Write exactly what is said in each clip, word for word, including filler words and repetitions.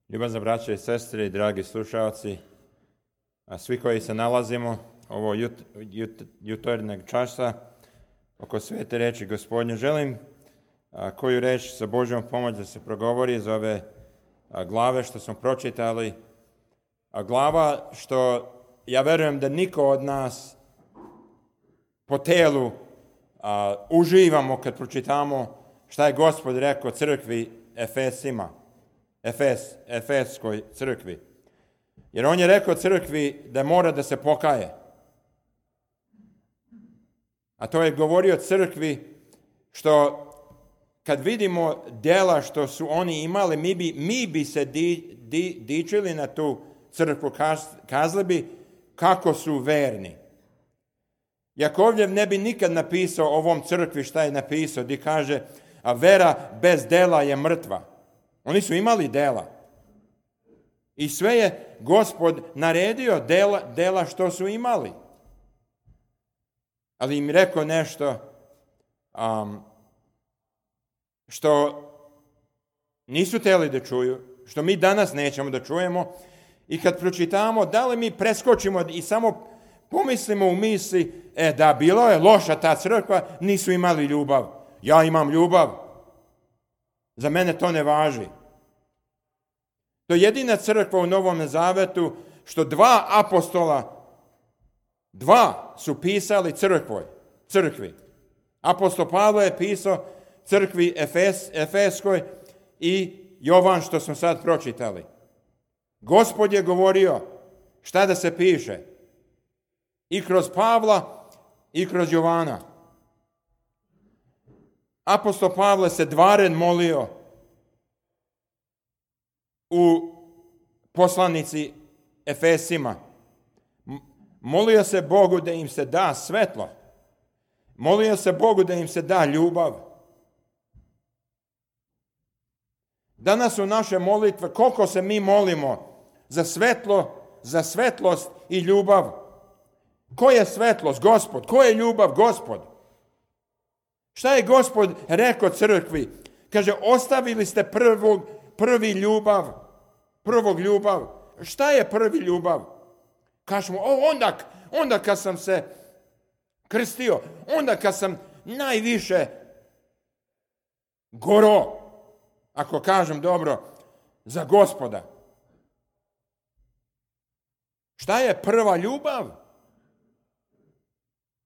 Ljubazna braća i sestre i dragi slušalci, a svi koji se nalazimo ovo jut, jut, jutarnjeg časa oko svete reči Gospodnje, želim a, koju reč sa Božjom pomoć da se progovori iz ove a, glave što smo pročitali. A glava što ja verujem da niko od nas po telu a, uživamo kad pročitamo šta je Gospod rekao crkvi Efesima. Efes, Efeskoj crkvi. Jer on je rekao crkvi da mora da se pokaje. A to je govorio crkvi što kad vidimo djela što su oni imali, mi bi, mi bi se di, di, dičili na tu crkvu, kaz, kazali bi kako su verni. Jakovljev ne bi nikad napisao ovom crkvi šta je napisao, gdje kaže, a vera bez dela je mrtva. Oni su imali dela. I sve je Gospod naredio dela, dela što su imali. Ali im rekao nešto um, što nisu htjeli da čuju, što mi danas nećemo da čujemo. I kad pročitamo, da li mi preskočimo i samo pomislimo u misli, e da, bilo je loša ta crkva, nisu imali ljubav. Ja imam ljubav. Za mene to ne važi. To je jedina crkva u Novom Zavetu što dva apostola, dva su pisali crkvoj, crkvi. Apostol Pavle je pisao crkvi Efes, Efeskoj i Jovan što smo sad pročitali. Gospod je govorio šta da se piše i kroz Pavla i kroz Jovana. Apostol Pavle se dvaren molio u poslanici Efesima. Molio se Bogu da im se da svetlo. Molio se Bogu da im se da ljubav. Danas su naše molitve, koliko se mi molimo za svetlo, za svetlost i ljubav. Ko je svetlost? Gospod. Ko je ljubav? Gospod. Šta je Gospod rekao crkvi? Kaže, ostavili ste prvog, prvi ljubav. Prvog ljubav. Šta je prvi ljubav? Kažemo, o, onda, onda kad sam se krstio, onda kad sam najviše goro, ako kažem dobro, za Gospoda. Šta je prva ljubav?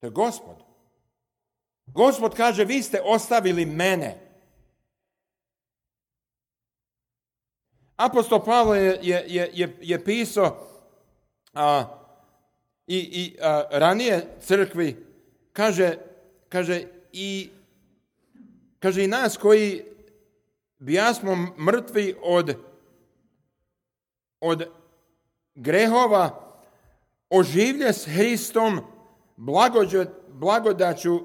To je Gospod. Gospod kaže, vi ste ostavili mene. Apostol Pavle je, je, je, je pisao a, i, i a, ranije crkvi, kaže, kaže, i, kaže i nas koji bijasmo mrtvi od, od grehova, oživlje s Hristom, blagođe, blagodaću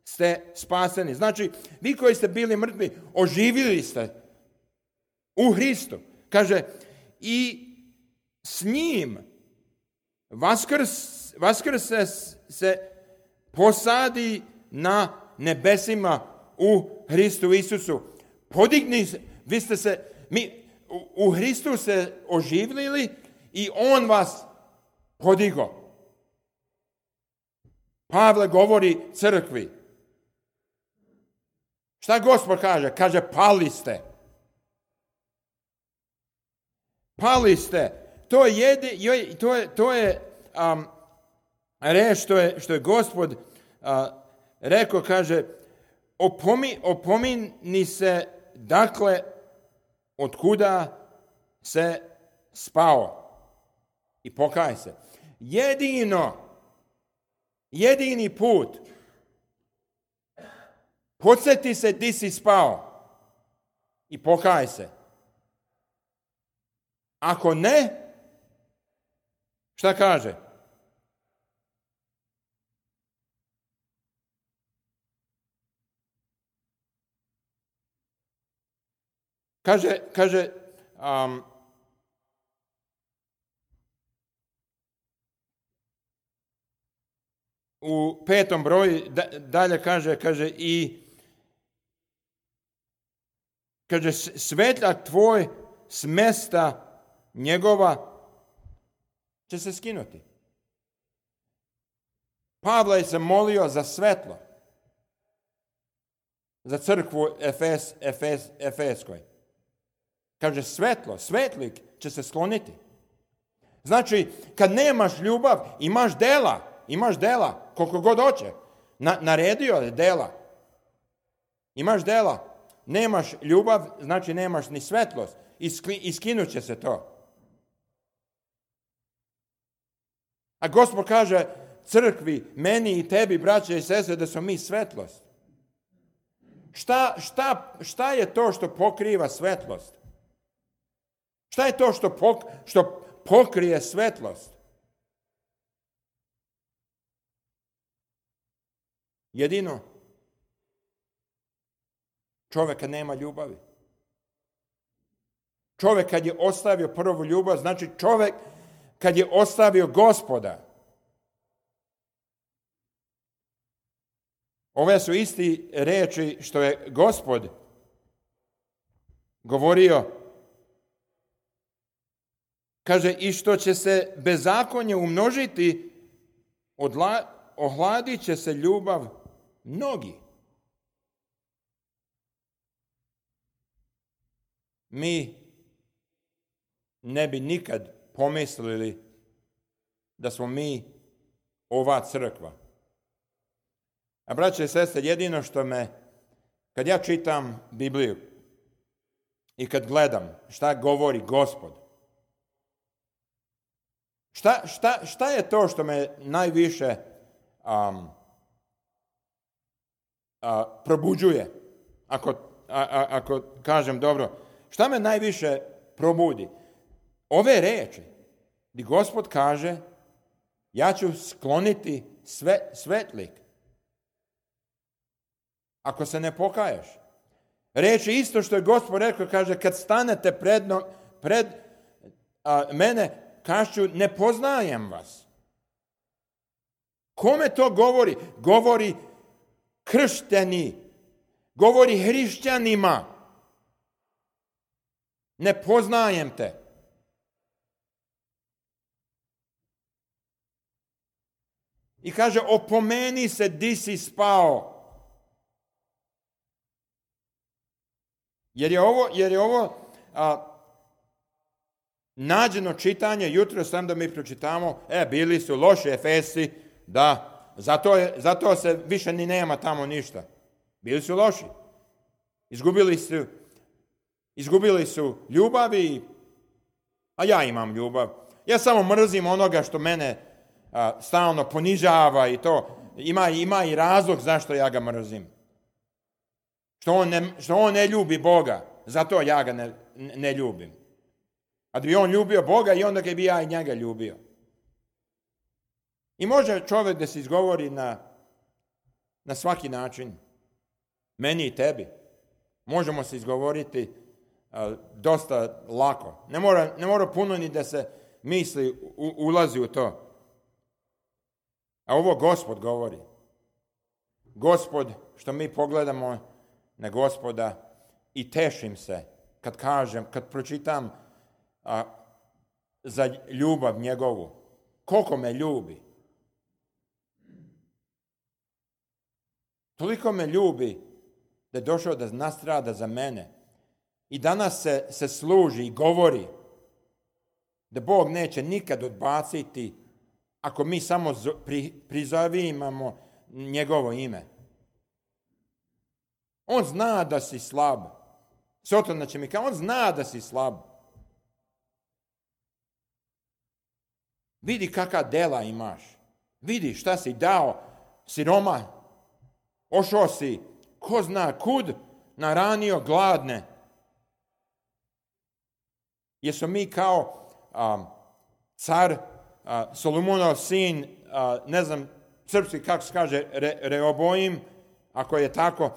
ste spaseni. Znači, vi koji ste bili mrtvi, oživili ste u Hristu. Kaže, i s njim vaskrs, vaskrse se posadi na nebesima u Hristu Isusu. Podigni se, vi ste se, mi u, u Hristu se oživlili i on vas podigo. Pavle govori crkvi. Šta Gospod kaže? Kaže, pali ste. Pali ste. To je, jedi, to je, to je um, reč što je, što je Gospod uh, rekao, kaže, opomi, opomini se, dakle, od kuda se spao. I pokaj se. Jedino, jedini put, podsjeti se di si spao i pokaj se. Ako ne, šta kaže? Kaže, kaže, um, u petom broju dalje kaže, kaže i kaže, svetlak tvoj s mesta njegova će se skinuti. Pavle se molio za svetlo, za crkvu Efes, Efes, Efeskoj. Kaže, svetlo, svetlik će se skloniti. Znači, kad nemaš ljubav, imaš dela, imaš dela, koliko god hoće. Na, naredio je dela. Imaš dela, nemaš ljubav, znači nemaš ni svetlost. Iskinut će se to. A Gospod kaže crkvi, meni i tebi, braće i sestre, da smo mi svetlost. Šta, šta, šta je to što pokriva svetlost? Šta je to što, pok, što pokrije svetlost? Jedino čovjek kad nema ljubavi. Čovjek kad je ostavio prvu ljubav, znači čovjek kad je ostavio Gospoda. Ove su isti reči što je Gospod govorio. Kaže, i što će se bezakonje umnožiti, odla, ohladit će se ljubav mnogi. Mi ne bi nikad pomislili da smo mi ova crkva. A braće i sestre, jedino što me, kad ja čitam Bibliju i kad gledam šta govori Gospod, šta, šta, šta je to što me najviše um, a, probuđuje, ako, a, a, ako kažem dobro, šta me najviše probudi? Ove reči, gdje Gospod kaže, ja ću skloniti sve, svetlik, ako se ne pokaješ. Reči isto što je Gospod rekao, kaže, kad stanete pred, pred a, mene, kažu, ne poznajem vas. Kome to govori? Govori kršteni, govori hrišćanima. Ne poznajem te. I kaže, opomeni se di si spao. Jer je ovo, jer je ovo a, nađeno čitanje, jutro sam da mi pročitamo, e, bili su loši Efesi, da, zato, je, zato se više ni nema tamo ništa. Bili su loši. Izgubili su, izgubili su ljubavi, a ja imam ljubav. Ja samo mrzim onoga što mene a, stalno ponižava i to. Ima, ima i razlog zašto ja ga mrzim. Što on ne, što on ne ljubi Boga, zato ja ga ne, ne ljubim. A da bi on ljubio Boga i onda ga bi ja i njega ljubio. I može čovjek da se izgovori na, na svaki način. Meni i tebi. Možemo se izgovoriti a, dosta lako. Ne mora, ne mora puno ni da se misli, u, ulazi u to. A ovo Gospod govori. Gospod, što mi pogledamo na Gospoda i tešim se kad kažem, kad pročitam a, za ljubav njegovu. Koliko me ljubi. Toliko me ljubi da je došao da nastrada za mene. I danas se, se služi i govori da Bog neće nikad odbaciti ako mi samo pri, prizovimo njegovo ime. On zna da si slab. Sotona će mi kao, on zna da si slab. Vidi kakva dela imaš. Vidi šta si dao siroma. Ošao si, ko zna kud, naranio gladne. Jesu mi kao um, car, uh, Solomonov sin, uh, ne znam, srpski kako se kaže, Re, Reobojim, ako je tako.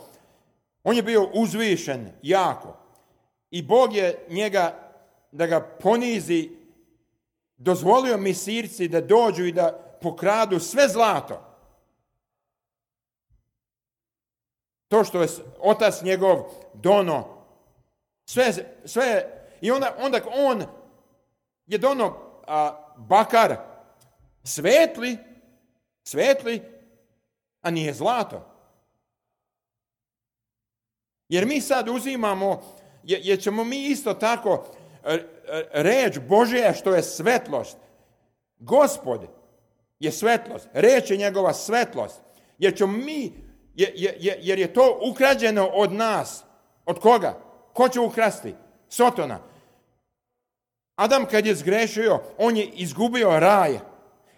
On je bio uzvišen jako. I Bog je njega, da ga ponizi, dozvolio misirci da dođu i da pokradu sve zlato. To što je otac njegov dono, sve, sve, I onda, onda on je dono a, bakar svetli, svetli, a nije zlato. Jer mi sad uzimamo, jer ćemo mi isto tako reč Božja što je svetlost. Gospod je svetlost, reč je njegova svetlost. Jer ćemo mi, jer je to ukrađeno od nas. Od koga? Ko će ukrasti? Sotona. Adam kad je zgrešio, on je izgubio raj.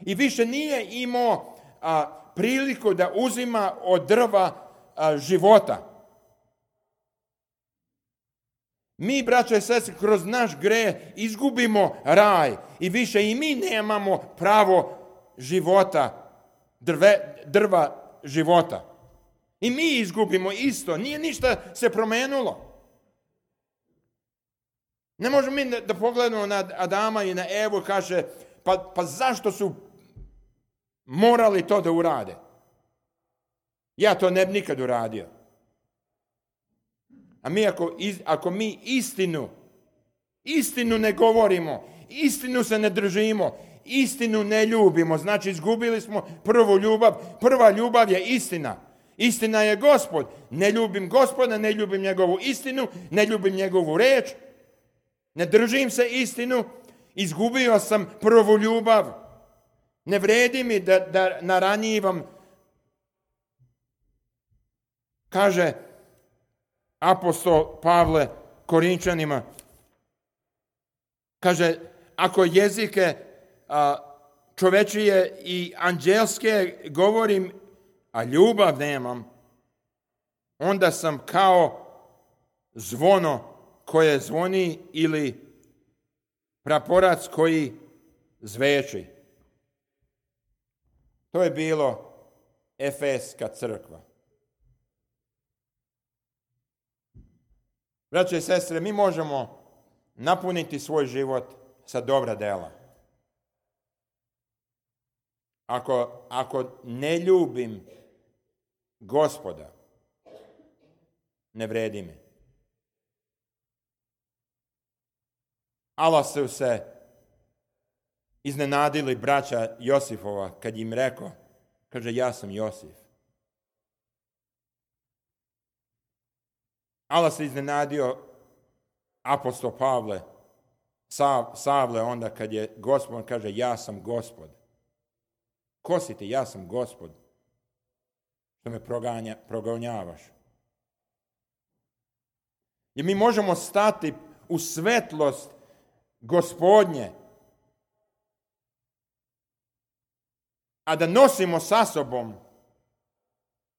I više nije imao a, priliku da uzima od drva a, života. Mi, braćo i sestre, kroz naš greh izgubimo raj i više i mi nemamo pravo života, drve, drva života. I mi izgubimo isto, nije ništa se promenilo. Ne možemo mi da pogledamo na Adama i na Evu i kaže, pa, pa zašto su morali to da urade? Ja to ne bi nikad uradio. A mi ako, ako mi istinu, istinu ne govorimo, istinu se ne držimo, istinu ne ljubimo, znači izgubili smo prvu ljubav. Prva ljubav je istina. Istina je Gospod. Ne ljubim Gospoda, ne ljubim njegovu istinu, ne ljubim njegovu reč, ne držim se istinu, izgubio sam prvu ljubav. Ne vredi mi da, da naranjivam. Kaže apostol Pavle Korinčanima, kaže, ako jezike a, čovečije i anđelske govorim, a ljubav nemam, onda sam kao zvono koje zvoni ili praporac koji zveči. To je bilo Efeska crkva. Braće i sestre, mi možemo napuniti svoj život sa dobra dela. Ako, ako ne ljubim Gospoda, ne vredi mi. Ali su se iznenadili braća Josifova kad im rekao, kaže, ja sam Josif. Ali se iznenadio apostol Pavle, Savle, onda kad je Gospod, kaže, ja sam Gospod. Ko si ti? Ja sam Gospod. Što me proganja, progonjavaš. I mi možemo stati u svetlost Gospodnje, a da nosimo sa sobom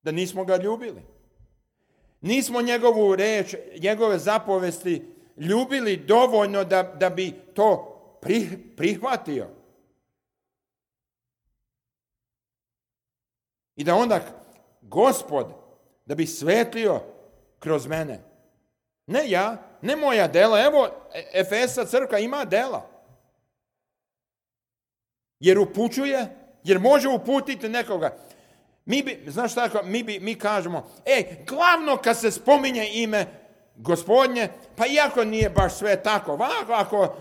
da nismo ga ljubili. Nismo njegovu reč, njegove zapovesti ljubili dovoljno da, da bi to prihvatio. I da onda Gospod, da bi svetlio kroz mene. Ne ja, ne moja dela. Evo, Efesa crkva ima dela. Jer upućuje, jer može uputiti nekoga. Mi bi, znaš tako, mi, bi, mi kažemo, ej, glavno kad se spominje ime Gospodnje, pa iako nije baš sve tako, ovako, ako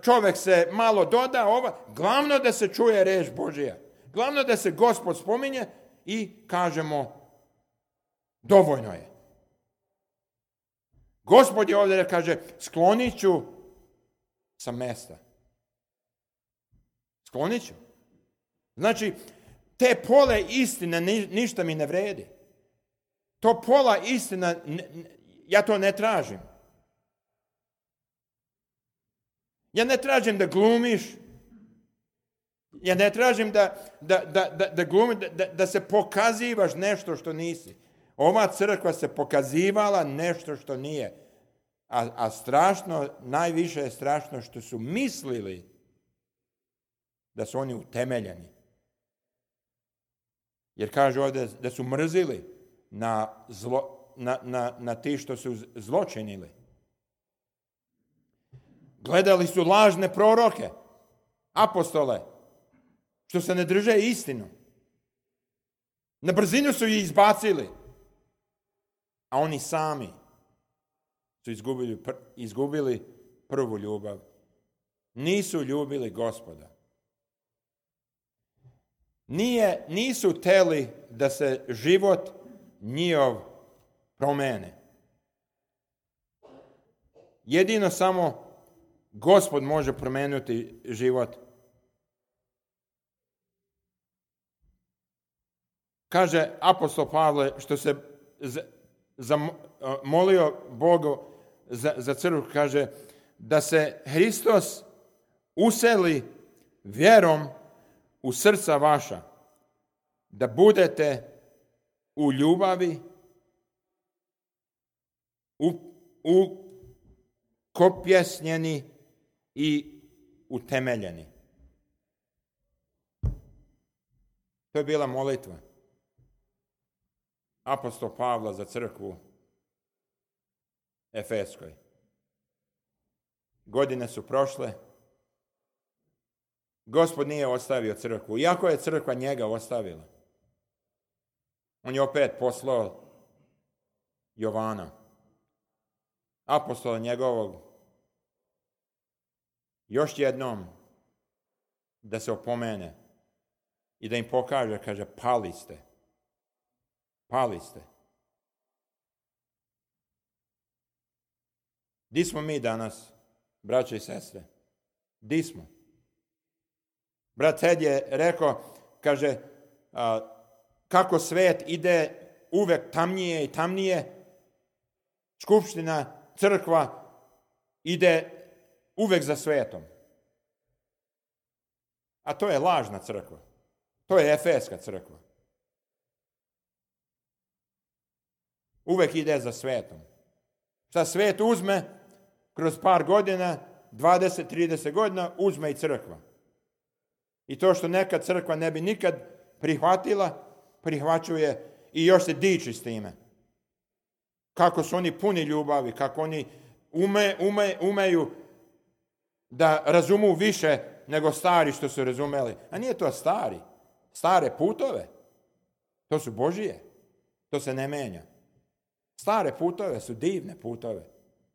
čovjek se malo doda, ova, glavno da se čuje reč Božja. Glavno da se Gospod spominje i kažemo, dovoljno je. Gospod je ovdje da kaže, sklonit ću sa mesta. Sklonit ću. Znači, te pole istine ništa mi ne vredi. To pola istina, ja to ne tražim. Ja ne tražim da glumiš. Ja ne tražim da, da, da, da, da, glumi, da, da se pokazivaš nešto što nisi. Ova crkva se pokazivala nešto što nije. A, a strašno, najviše je strašno što su mislili da su oni utemeljeni. Jer kaže ovdje da su mrzili na, zlo, na, na, na ti što su zločinili. Gledali su lažne proroke, apostole, što se ne drže istinu. Na brzinu su ih izbacili. A oni sami su izgubili, izgubili prvu ljubav. Nisu ljubili Gospoda. Nije, nisu teli da se život njihov promene. Jedino samo Gospod može promijeniti život. Kaže apostol Pavle što se zamolio Bogu za, za crkvu, kaže da se Hristos useli vjerom u srca vaša, da budete u ljubavi, u, u kopjesnjeni i utemeljeni. To je bila molitva apostol Pavla za crkvu Efeskoj. Godine su prošle. Gospod nije ostavio crkvu, iako je crkva njega ostavila. On je opet poslao Jovana, apostola njegovog, još jednom da se opomene i da im pokaže, kaže, pali ste. Pali ste. Di smo mi danas, braće i sestre? Di smo? Brat Ted je rekao, kaže, a, kako svet ide uvek tamnije i tamnije, skupština, crkva ide uvek za svetom. A to je lažna crkva. To je Efeska crkva. Uvek ide za svetom. Šta svet uzme, kroz par godina, dvadeset trideset godina, uzme i crkva. I to što neka crkva ne bi nikad prihvatila, prihvaćuje i još se diči s time. Kako su oni puni ljubavi, kako oni ume, ume, umeju da razumu više nego stari što su razumeli. A nije to stari. Stare putove. To su Božije. To se ne menja. Stare putove su divne putove.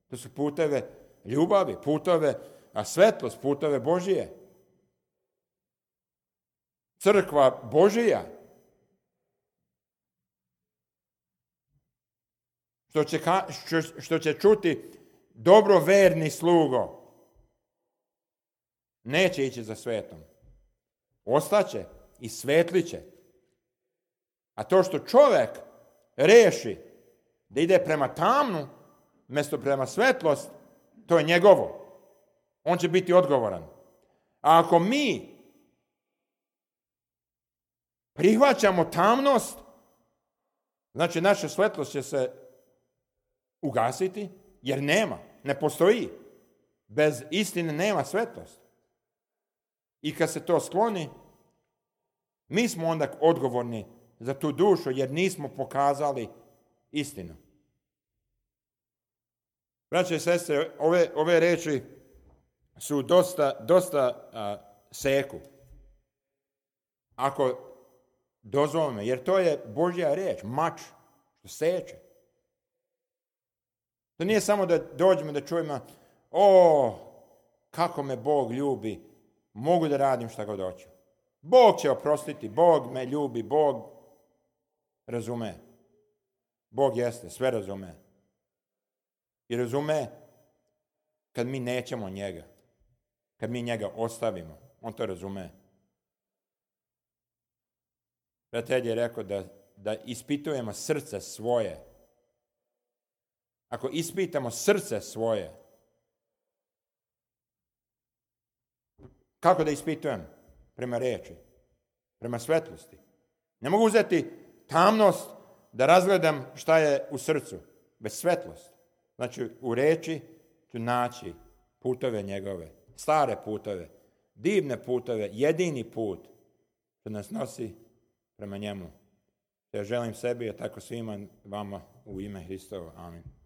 To su puteve ljubavi, putove, a svetlost, putove Božije. Crkva Božija. Što će, što, što će čuti dobro verni slugo. Neće ići za svetom. Ostaće i svetliće. A to što čovjek reši da ide prema tamnu, mjesto prema svetlost, to je njegovo. On će biti odgovoran. A ako mi prihvaćamo tamnost, znači naša svetlost će se ugasiti, jer nema, ne postoji. Bez istine nema svetlost. I kad se to skloni, mi smo onda odgovorni za tu dušu, jer nismo pokazali istinu. Braće i sestre, ove, ove reči su dosta, dosta a, seku. Ako dozvolimo, jer to je Božja riječ, mač, što seče. To nije samo da dođemo da čujemo, o, kako me Bog ljubi, mogu da radim šta god hoću. Bog će oprostiti, Bog me ljubi, Bog razume. Bog jeste, sve razume. I razume kad mi nećemo njega, kad mi njega ostavimo, on to razume. Brat je rekao da, da ispitujemo srce svoje. Ako ispitamo srce svoje, kako da ispitujem? Prema reči, prema svetlosti. Ne mogu uzeti tamnost da razgledam šta je u srcu, bez svetlosti. Znači, u reči ću naći putove njegove, stare putove, divne putove, jedini put što nas nosi prema njemu. Ja želim sebi, a tako svima vama u ime Hristova. Amin.